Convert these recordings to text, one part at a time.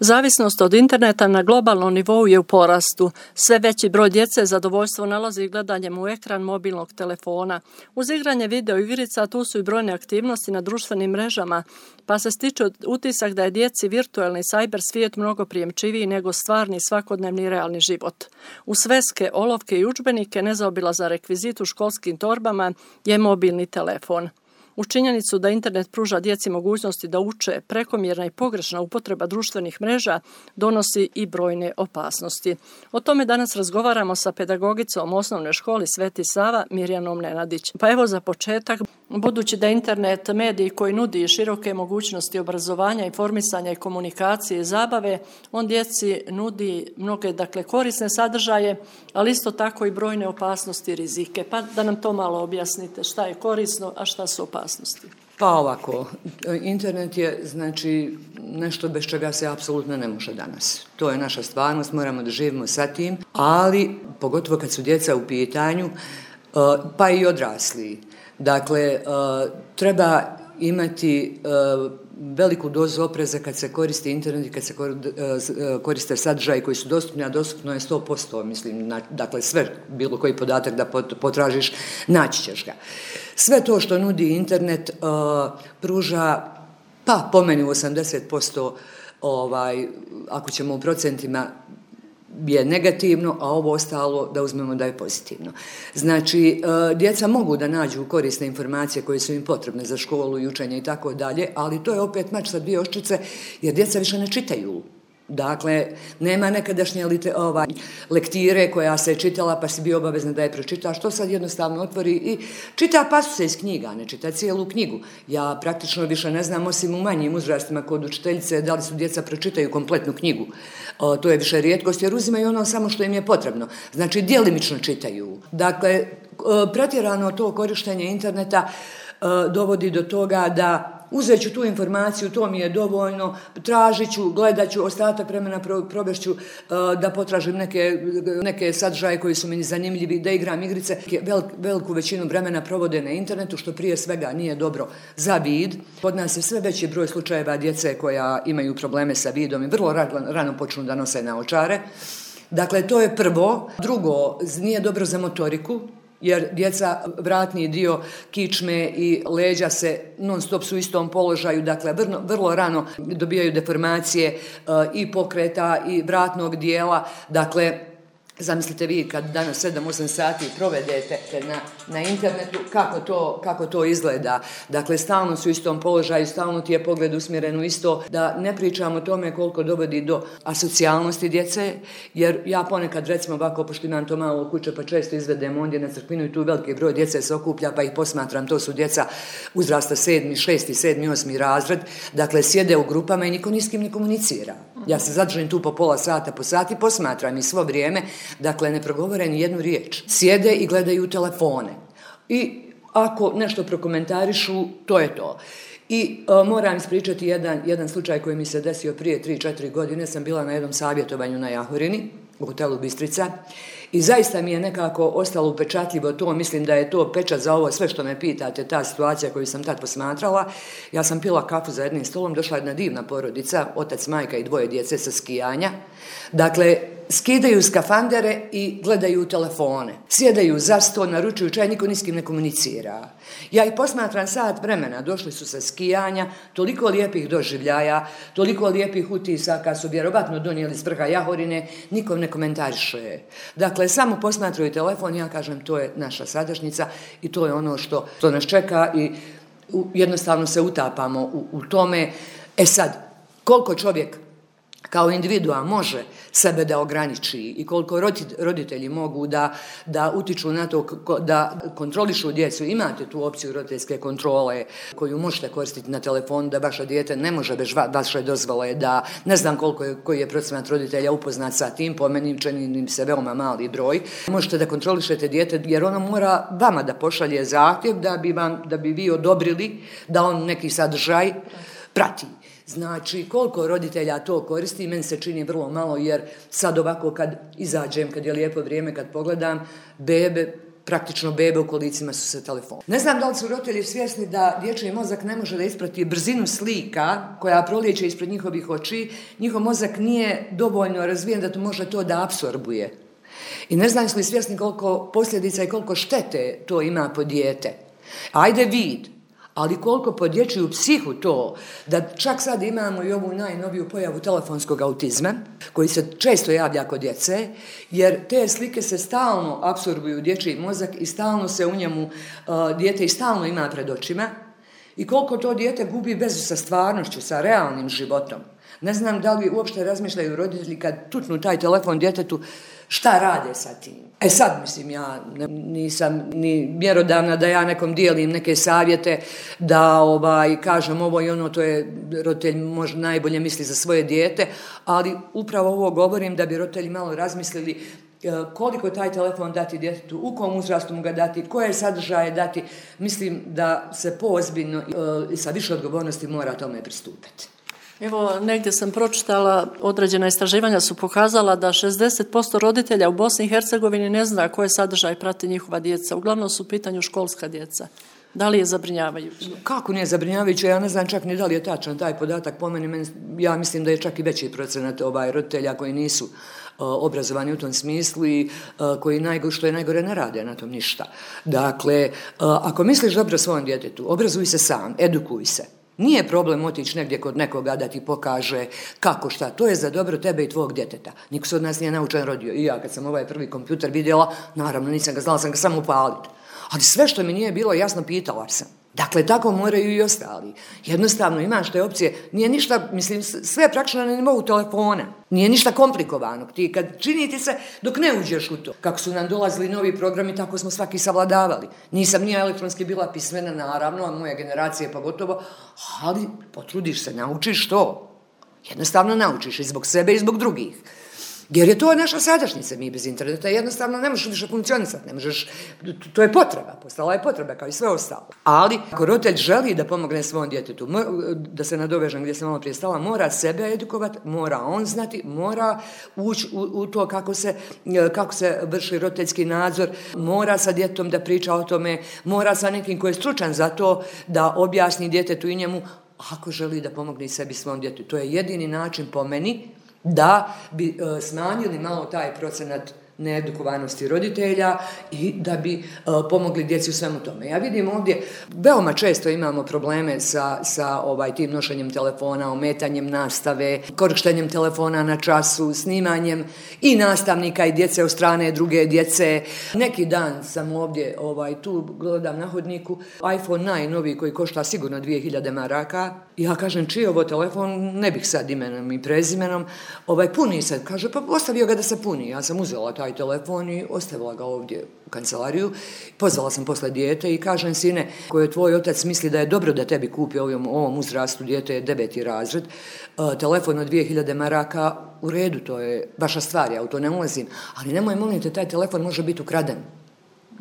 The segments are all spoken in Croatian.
Zavisnost od interneta na globalnom nivou je u porastu. Sve veći broj djece zadovoljstvo nalazi gledanjem u ekran mobilnog telefona. Uz igranje video igrica tu su i brojne aktivnosti na društvenim mrežama, pa se stiče utisak da je djeci virtualni cyber svijet mnogo prijemčiviji nego stvarni svakodnevni realni život. U sveske, olovke i udžbenike nezaobilazan rekvizit u školskim torbama je mobilni telefon. U činjenicu da internet pruža djeci mogućnosti da uče, prekomjerna i pogrešna upotreba društvenih mreža donosi i brojne opasnosti. O tome danas razgovaramo sa pedagogicom osnovne škole Sveti Sava Mirjanom Nenadić. Pa evo za početak, budući da internet medij koji nudi široke mogućnosti obrazovanja, informisanja i komunikacije i zabave, on djeci nudi mnoge korisne sadržaje, ali isto tako i brojne opasnosti i rizike. Pa da nam to malo objasnite, šta je korisno, a šta su opasnosti. Pa ovako, internet je nešto bez čega se apsolutno ne može danas. To je naša stvarnost, moramo da živimo sa tim, ali pogotovo kad su djeca u pitanju, pa i odrasli. Dakle, treba imati veliku dozu opreza kad se koristi internet i kad se koriste sadržaji koji su dostupni, a dostupno je 100%, mislim, dakle sve, bilo koji podatak da potražiš, naći ćeš ga. Sve to što nudi internet pruža, pa po meni u 80%, ako ćemo u procentima, je negativno, a ovo ostalo da uzmemo da je pozitivno. Znači, djeca mogu da nađu korisne informacije koje su im potrebne za školu i učenje i tako dalje, ali to je opet mač sa dvije oštrice, jer djeca više ne čitaju. Dakle, nema nekadašnje lektire koja se čitala pa si bio obavezna da je pročitaš, to sad jednostavno otvori i čita pasuse iz knjiga, ne čita cijelu knjigu. Ja praktično više ne znam, osim u manjim uzrastima kod učiteljice, da li su djeca pročitaju kompletnu knjigu. To je više rijetkost jer uzimaju ono samo što im je potrebno. Znači, djelimično čitaju. Dakle, pretjerano to korištenje interneta dovodi do toga da uzet ću tu informaciju, to mi je dovoljno, tražit ću, gledat ću, ostatak vremena provešću da potražim neke sadržaje koji su mi zanimljivi, da igram igrice. Veliku većinu vremena provode na internetu, što prije svega nije dobro za vid. Kod nas je sve veći broj slučajeva djece koja imaju probleme sa vidom i vrlo rano počnu da nose naočare. Dakle, to je prvo. Drugo, nije dobro za motoriku, jer djeca vratni dio kičme i leđa se non stop su u istom položaju, dakle vrlo rano dobijaju deformacije i pokreta i vratnog dijela, dakle zamislite vi kad danas 7-8 sati provedete na internetu, kako to izgleda. Dakle, stalno su u istom položaju, stalno ti je pogled usmjeren u isto. Da ne pričamo o tome koliko dovodi do asocijalnosti djece, jer ja ponekad recimo ovako, pošto imam to malo kuće, pa često izvedem ondje na crkvinu i tu veliki broj djece se okuplja, pa ih posmatram, to su djeca uzrasta 7., 6., 7., 8. razred, dakle sjede u grupama i niko ni s kim ne komunicira. Ja se zadržim tu po pola sata, po sati, posmatram i svo vrijeme, dakle ne progovore ni jednu riječ. Sjede i gledaju telefone. I ako nešto prokomentarišu, to je to. I moram ispričati jedan slučaj koji mi se desio prije 3-4 godine. Sam bila na jednom savjetovanju na Jahorini, u hotelu Bistrica, i zaista mi je nekako ostalo upečatljivo to, mislim da je to pečat za ovo sve što me pitate, ta situacija koju sam tad posmatrala. Ja sam pila kafu za jednim stolom, došla jedna divna porodica, otac, majka i 2 djece sa skijanja. Dakle, skidaju skafandere i gledaju telefone. Sjedaju za sto, naručuju čaj, niko ni s kim ne komunicira. Ja ih posmatram sat vremena, došli su sa skijanja, toliko lijepih doživljaja, toliko lijepih utisaka su vjerovatno donijeli s vrha Jahorine, nikom ne komentariše. Dakle, samo posmatraju telefon, ja kažem to je naša sadašnjica i to je ono što nas čeka i jednostavno se utapamo u tome. E sad, koliko čovjek kao individua može sebe da ograniči i koliko roditelji mogu da utiču na to da kontrolišu djecu. Imate tu opciju roditeljske kontrole koju možete koristiti na telefonu, da vaše dijete ne može bez vaše dozvole, da ne znam koji je procenat roditelja upoznat sa tim, po meni čini se veoma mali broj. Možete da kontrolišete dijete jer ono mora vama da pošalje zahtjev da bi vi odobrili da on neki sadržaj prati. Znači, koliko roditelja to koristi, meni se čini vrlo malo, jer sad ovako kad izađem, kad je lijepo vrijeme, kad pogledam, bebe praktično bebe u kolicima su se telefon. Ne znam da li su roditelji svjesni da dječji mozak ne može da isprati brzinu slika koja prolijeće ispred njihovih oči. Njihov mozak nije dovoljno razvijen da to može to da apsorbuje. I ne znam su li svjesni koliko posljedica i koliko štete to ima po dijete. Ajde vid, ali koliko po dječju psihu to, da čak sad imamo i ovu najnoviju pojavu telefonskog autizma, koji se često javlja kod djece, jer te slike se stalno apsorbuju u dječji mozak i stalno se u njemu dijete i stalno ima pred očima, i koliko to dijete gubi vezu sa stvarnošću, sa realnim životom. Ne znam da li uopšte razmišljaju roditelji kad tutnu taj telefon djetetu, šta rade sa tim. Sad, mislim, ja nisam ni mjerodavna da ja nekom dijelim neke savjete, da kažem ovo i ono, to je roditelj možda najbolje misli za svoje dijete, ali upravo ovo govorim da bi roditelji malo razmislili koliko taj telefon dati djetetu, u kom uzrastu mu ga dati, koje sadržaje dati. Mislim da se poozbiljno i sa više odgovornosti mora tome pristupiti. Evo, negdje sam pročitala, određena istraživanja su pokazala da 60% roditelja u Bosni i Hercegovini ne zna koje sadržaje prati njihova djeca. Uglavnom su u pitanju školska djeca. Da li je zabrinjavajuće? Kako nije zabrinjavajuće? Ja ne znam čak ni da li je tačan taj podatak. Po meni, ja mislim da je čak i veći procenat roditelja koji nisu obrazovani u tom smislu i koji što je najgore ne rade na tom ništa. Dakle, ako misliš dobro svom djetetu, obrazuj se sam, edukuj se. Nije problem otići negdje kod nekoga da ti pokaže kako šta. To je za dobro tebe i tvog djeteta. Niko se od nas nije naučen rodio. I ja kad sam ovaj prvi kompjuter vidjela, naravno nisam ga znala, sam ga samo upaliti. Ali sve što mi nije bilo jasno, pitala sam. Dakle, tako moraju i ostali. Jednostavno imaš te opcije, nije ništa, mislim, sve je praktično na nivou telefona. Nije ništa komplikovanog. Ti kad čini ti se dok ne uđeš u to. Kako su nam dolazili novi programi, tako smo svaki savladavali. Nisam nije elektronski bila pismena, naravno, a moja generacija pogotovo, ali potrudiš se, naučiš to. Jednostavno naučiš i zbog sebe i zbog drugih. Jer je to naša sadašnjica, mi bez interneta jednostavno ne možeš više funkcionisati, ne možeš, to je potreba, postala je potreba kao i sve ostalo. Ali ako roditelj želi da pomogne svom djetetu, da se nadovežem gdje sam malo prije stala, mora sebe edukovati, mora on znati, mora ući u to kako se vrši roditeljski nadzor, mora sa djetetom da priča o tome, mora sa nekim koji je stručan za to da objasni djetetu i njemu ako želi da pomogne sebi svom djetetu. To je jedini način po meni da bi smanjili malo taj procenat needukovanosti roditelja i da bi pomogli djeci u svemu tome. Ja vidim ovdje, veoma često imamo probleme sa tim nošenjem telefona, ometanjem nastave, korištenjem telefona na času, snimanjem i nastavnika i djece od strane druge djece. Neki dan sam ovdje, tu gledam na hodniku, iPhone najnoviji koji košta sigurno 2000 maraka. Ja kažem, čiji je ovo telefon, ne bih sad imenom i prezimenom, puni se, kaže, pa ostavio ga da se puni. Ja sam uzela taj telefon i ostavila ga ovdje u kancelariju. Pozvala sam posle dijete i kažem, sine, koji tvoj otac misli da je dobro da tebi kupi ovom uzrastu, dijete je 9. razred, telefon od 2000 maraka, u redu, to je vaša stvar, ja u to ne ulazim, ali nemoj, molim te, taj telefon može biti ukraden.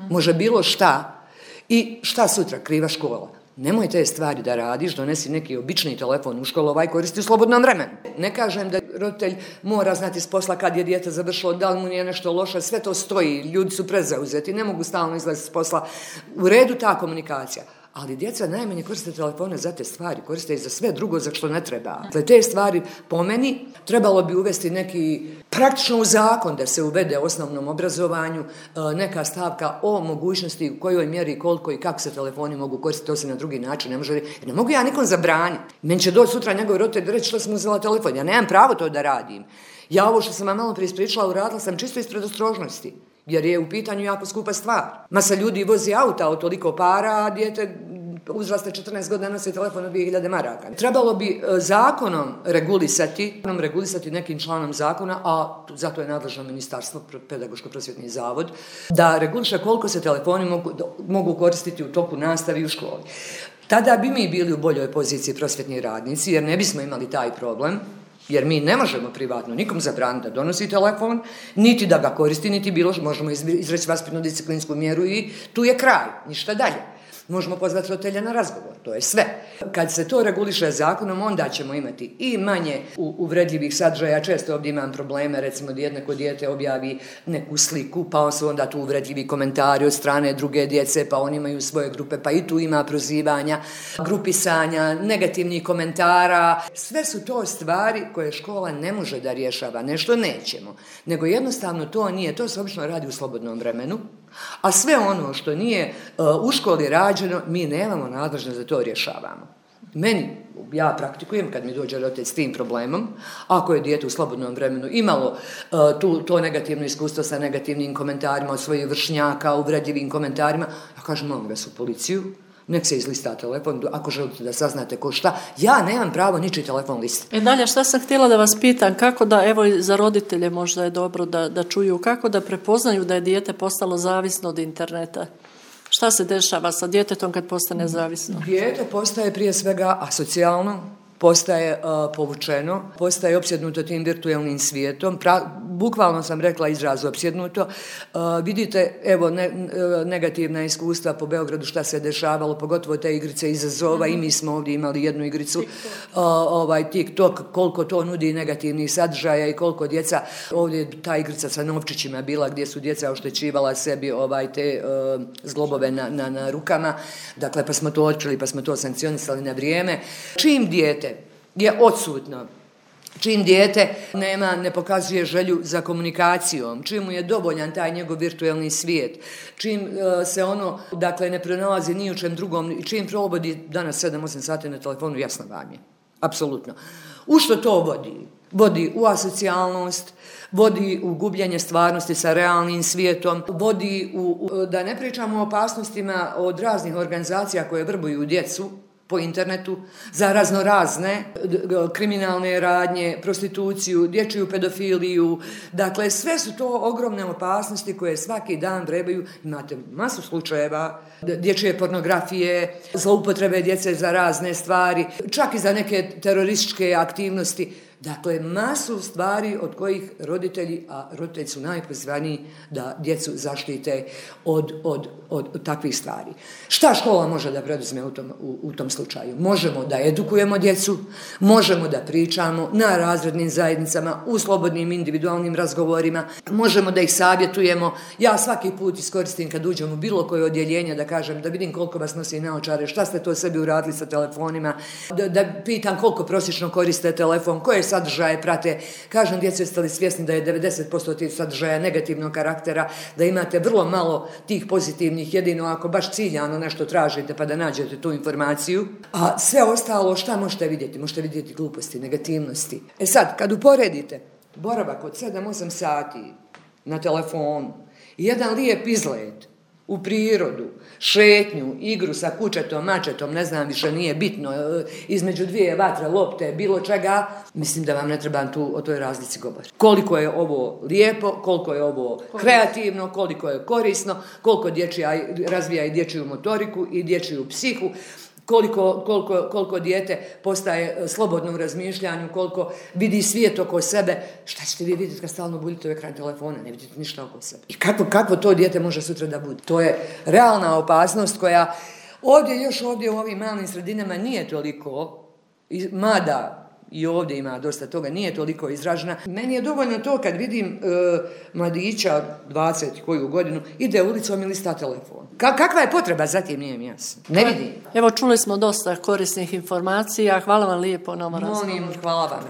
Može bilo šta i šta sutra, kriva škola. Nemoj te stvari da radiš, donesi neki obični telefon u školu, koristi u slobodnom vremenu. Ne kažem da roditelj mora znati s posla kad je dijete završilo, da li mu nije nešto loše, sve to stoji, ljudi su prezauzeti, ne mogu stalno izlaziti s posla. U redu ta komunikacija. Ali djeca najmanje koriste telefone za te stvari, koriste i za sve drugo za što ne treba. Dakle, te stvari po meni trebalo bi uvesti neki praktično u zakon da se uvede u osnovnom obrazovanju neka stavka o mogućnosti u kojoj mjeri, koliko i kako se telefoni mogu koristiti, to se na drugi način ne može. Ne mogu ja nikom zabraniti. Meni će doći sutra njegov roditelj reći što sam uzela telefon. Ja nemam pravo to da radim. Ja ovo što sam vam malo prije ispričala uradila sam čisto iz predostrožnosti. Jer je u pitanju jako skupa stvar. Masa ljudi vozi auta od toliko para, a dijete uzraste 14 godina nosi telefon od 2000 maraka. Trebalo bi zakonom regulisati nekim članom zakona, a zato je nadležno ministarstvo, pedagoško-prosvjetni zavod, da reguliše koliko se telefoni mogu koristiti u toku nastave i u školi. Tada bi mi bili u boljoj poziciji prosvjetni radnici, jer ne bismo imali taj problem. Jer mi ne možemo privatno nikom zabraniti da donosi telefon, niti da ga koristi, niti možemo izreći vaspitno-disciplinsku mjeru i tu je kraj, ništa dalje. Možemo pozvati roditelja na razgovor, to je sve. Kad se to reguliše zakonom, onda ćemo imati i manje uvredljivih sadržaja. Često ovdje imam probleme, recimo da neko dijete objavi neku sliku, pa su onda tu uvredljivi komentari od strane druge djece, pa oni imaju svoje grupe, pa i tu ima prozivanja, grupisanja, negativnih komentara. Sve su to stvari koje škola ne može da rješava, nešto nećemo, nego jednostavno to nije, to se obično radi u slobodnom vremenu, a sve ono što nije u školi rađeno, mi nemamo nadležnost da to rješavamo. Ja praktikujem kad mi dođe roditelj s tim problemom, ako je dijete u slobodnom vremenu imalo to negativno iskustvo sa negativnim komentarima od svojih vršnjaka, uvredljivim komentarima, ja kažem, molim vas u policiju, nek se izlista telefon, ako želite da saznate ko šta, ja nemam pravo ničiji telefon listati. Dalje, šta sam htjela da vas pitam, kako da, evo za roditelje možda je dobro da čuju, kako da prepoznaju da je dijete postalo zavisno od interneta? Šta se dešava sa djetetom kad postane zavisno? Dijete postaje prije svega asocijalno, postaje povučeno, postaje opsjednuto tim virtualnim svijetom. Bukvalno sam rekla izraz opsjednuto. Vidite, evo, negativna iskustva po Beogradu šta se dešavalo, pogotovo te igrice izazova, i mi smo ovdje imali jednu igricu, TikTok, koliko to nudi negativnih sadržaja i koliko djeca, ovdje ta igrica sa novčićima bila gdje su djeca oštećivala sebi te zglobove na rukama, dakle pa smo to otkrili, pa smo to sankcionisali na vrijeme. Čim dijete je odsutno, čim dijete ne pokazuje želju za komunikacijom, čim mu je dovoljan taj njegov virtualni svijet, čim se ono, dakle, ne pronalazi ni u čem drugom, čim provodi danas 7-8 sati na telefonu, jasno vam je, apsolutno. U što to vodi? Vodi u asocijalnost, vodi u gubljenje stvarnosti sa realnim svijetom, vodi da ne pričamo o opasnostima od raznih organizacija koje vrbuju djecu po internetu za raznorazne kriminalne radnje, prostituciju, dječju pedofiliju. Dakle, sve su to ogromne opasnosti koje svaki dan vrebaju. Imate masu slučajeva dječje pornografije, zloupotrebe djece za razne stvari, čak i za neke terorističke aktivnosti. Dakle, masu stvari od kojih roditelji, a roditelji su najpozvaniji da djecu zaštite od takvih stvari. Šta škola može da preduzme u tom slučaju? Možemo da edukujemo djecu, možemo da pričamo na razrednim zajednicama, u slobodnim individualnim razgovorima, možemo da ih savjetujemo. Ja svaki put iskoristim kad uđem u bilo koje odjeljenje da kažem, da vidim koliko vas nosi naočare, šta ste to sebi uradili sa telefonima, da pitam koliko prosječno koriste telefon, koje sadržaje prate. Kažem, djeco, jeste li svjesni da je 90% tih sadržaja negativnog karaktera, da imate vrlo malo tih pozitivnih, jedino ako baš ciljano nešto tražite pa da nađete tu informaciju. A sve ostalo šta možete vidjeti? Možete vidjeti gluposti, negativnosti. Sad, kad uporedite boravak od 7-8 sati na telefonu i jedan lijep izlet u prirodu, šetnju, igru sa kućetom, mačetom, ne znam, više nije bitno, između dvije vatre, lopte, bilo čega, mislim da vam ne trebam tu o toj razlici govoriti. Koliko je ovo lijepo, koliko je ovo kreativno, koliko je korisno, koliko razvija i dječju motoriku i dječju psihu, koliko dijete postaje slobodno u razmišljanju, koliko vidi svijet oko sebe. Šta ćete vi vidjeti kad stalno budete u ekran telefona? Ne vidite ništa oko sebe. I kakvo to dijete može sutra da bude? To je realna opasnost koja ovdje u ovim malim sredinama nije toliko, mada i ovdje ima dosta toga, nije toliko izražena. Meni je dovoljno to kad vidim mladića 20 koju godinu ide ulicom i lista telefon. Kakva je potreba za tim, nije mi jasno. Ne vidim. Evo, čuli smo dosta korisnih informacija. Hvala vam lijepo na ovom razgovoru. Molim, hvala vam.